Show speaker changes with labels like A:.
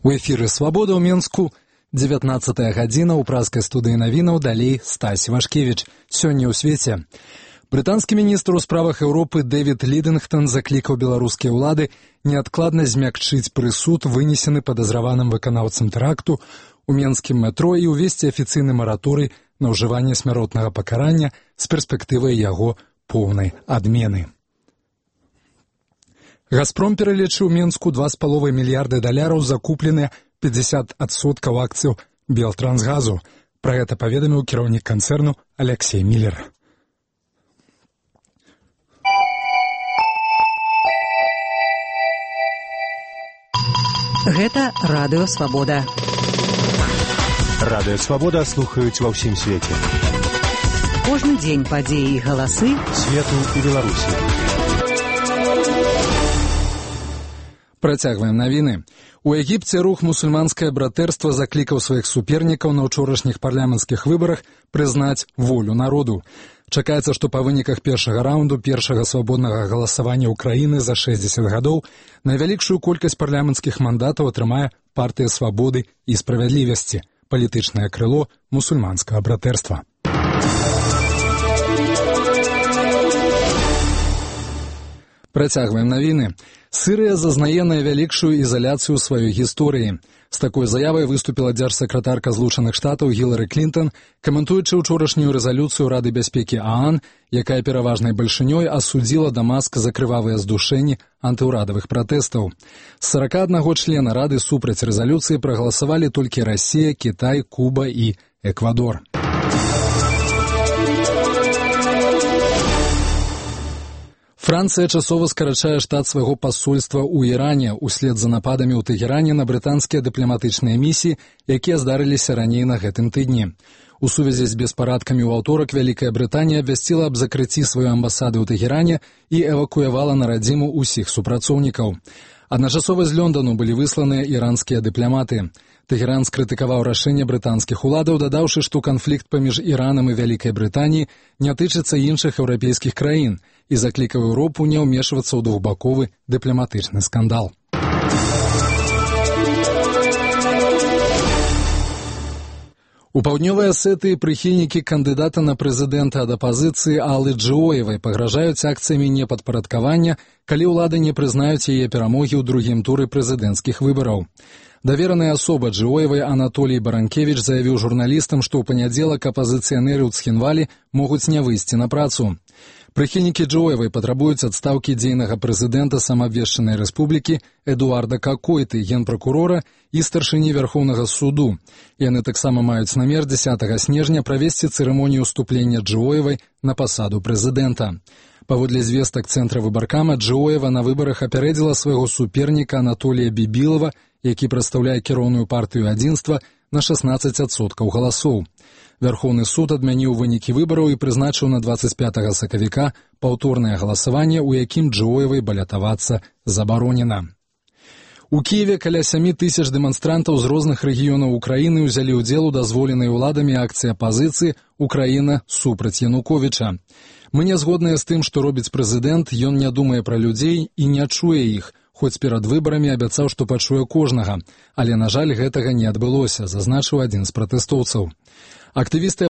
A: У эфіры «Свабода» ў Менску, 19-я гадзіна, ў празкай студыі навінаў, далей Стась Вашкевіч. Сёння ў свеце. Брытанскі міністр у справах Еўропы Дэвід Лідынгтон заклікаў беларускія ўлады неадкладна змякчыць прысуд, вынесены падазраваным выканаўцам тэракту у менскім метро і ўвесці афіцыйны мараторый на ўжыванне смяротнага пакарання з перспектывай яго поўнай адмены. «Газпром» пералічыў Менску $2,5 мільярда закупленыя 50% акцыяў «Белтрансгазу». Пра гэта паведаміў кіраўнік канцэрну Алексей Міллер.
B: Гэта радыё «Свабода».
C: Радыё «Свабода» слухаюць ва ўсім свеце.
B: Кожны дзень падзеі і галасы
C: свету і Беларусі.
A: Працягваем навіны. У Егіпце рух «Мусульманскае братэрства» заклікаў сваіх супернікаў на ўчорашніх парламенцкіх выбарах прызнаць волю народу. Чакаецца, што па выніках першага раунду першага свабоднага галасавання ўкраіны за 60 гадоў найвялікшую колькасць парламенцкіх мандатаў атрымае партыя «Свабоды» і «Справядлівасці», палітычнае крыло «Мусульманскага братэрства». Працягваем навіны. Сірыя зазнае найвялікшую ізаляцыю ў сваёй гісторыі. З такой заявай выступіла дзяржсакратарка Злучаных Штатаў Гілары Клінтон, каментуючы ўчорашнюю рэзалюцыю Рады бяспекі ААН, якая пераважнай бальшынёй асудзіла Дамаск за крывавыя здушэнні антыўрадавых пратэстаў. З 41 члена Рады супраць рэзалюцыі прагаласавалі толькі Расія, Кітай, Куба і Эквадор. Францыя часова скарачае штат свайго пасольства ў Іране ўслед за нападамі ў Тэгеране на брытанскія дыпламатычныя місіі, якія здарыліся раней на гэтым тыдні. У сувязі з беспарадкамі ў аўторак Вялікая Брытанія абвясціла аб закрыцці сваёй амбасады ў Тэгеране і эвакуявала на радзіму ўсіх супрацоўнікаў. Адначасова з Лёндану былі высланыя іранскія дыпламаты. Тэгеран скрытыкаваў рашэнне брытанскіх уладаў, дадаўшы, што канфлікт паміж Іранам і Вялікай Брытаніяй не тычыцца іншых еўрапейскіх краін і заклікаў Еўропу не ўмешвацца ў двухбаковы дыпламатычны скандал. У паўднёвай Асетыі прыхільнікі кандыдата на прэзідэнта ад апазіцыі Аллы Джоевай пагражаюць акцыямі непадпарадкавання, калі ўлады не прызнаюць яе перамогі ў другім туры прэзідэнцкіх выбараў. Давераная асоба Джоевай Анатолій Баранкевіч заявіў журналістам, што ў панядзелак апазіцыянеры ў Цхінвалі могуць не выйсці на працу. Прыхільнікі Джоевай патрабуюць адстаўкі дзейнага прэзідэнта самаабвешчанай рэспублікі Эдуарда Какойты, генпракурора і старшыні Вярхоўнага суду. Яны таксама маюць намер 10 снежня правесці цырымонію ўступлення Джоевай на пасаду прэзідэнта. Паводле звестак цэнтра выбаркама, Джоева на выбарах апярэдзіла свайго суперніка Анатолія Бібілава, які прадстаўляе кіроўную партыю адзінства, на 16% галасоў. Вярхоўны суд адмяніў вынікі выбараў і прызначыў на 25 сакавіка паўторнае галасаванне, у якім Джоевай балятавацца забаронена. У Кіеве каля 7,000 дэманстрантаў з розных рэгіёнаў Украіны ўзялі ўдзел у дазволенай уладамі акцыі апазіцыі «Украіна супраць Януковіча». Мы не згодныя з тым, што робіць прэзідэнт, ён не думае пра людзей і не чуе іх, хоць перад выбарамі абяцаў, што пачуе кожнага, але, на жаль, гэтага не адбылося, зазначыў адзін з пратэстоўцаў. Актывісты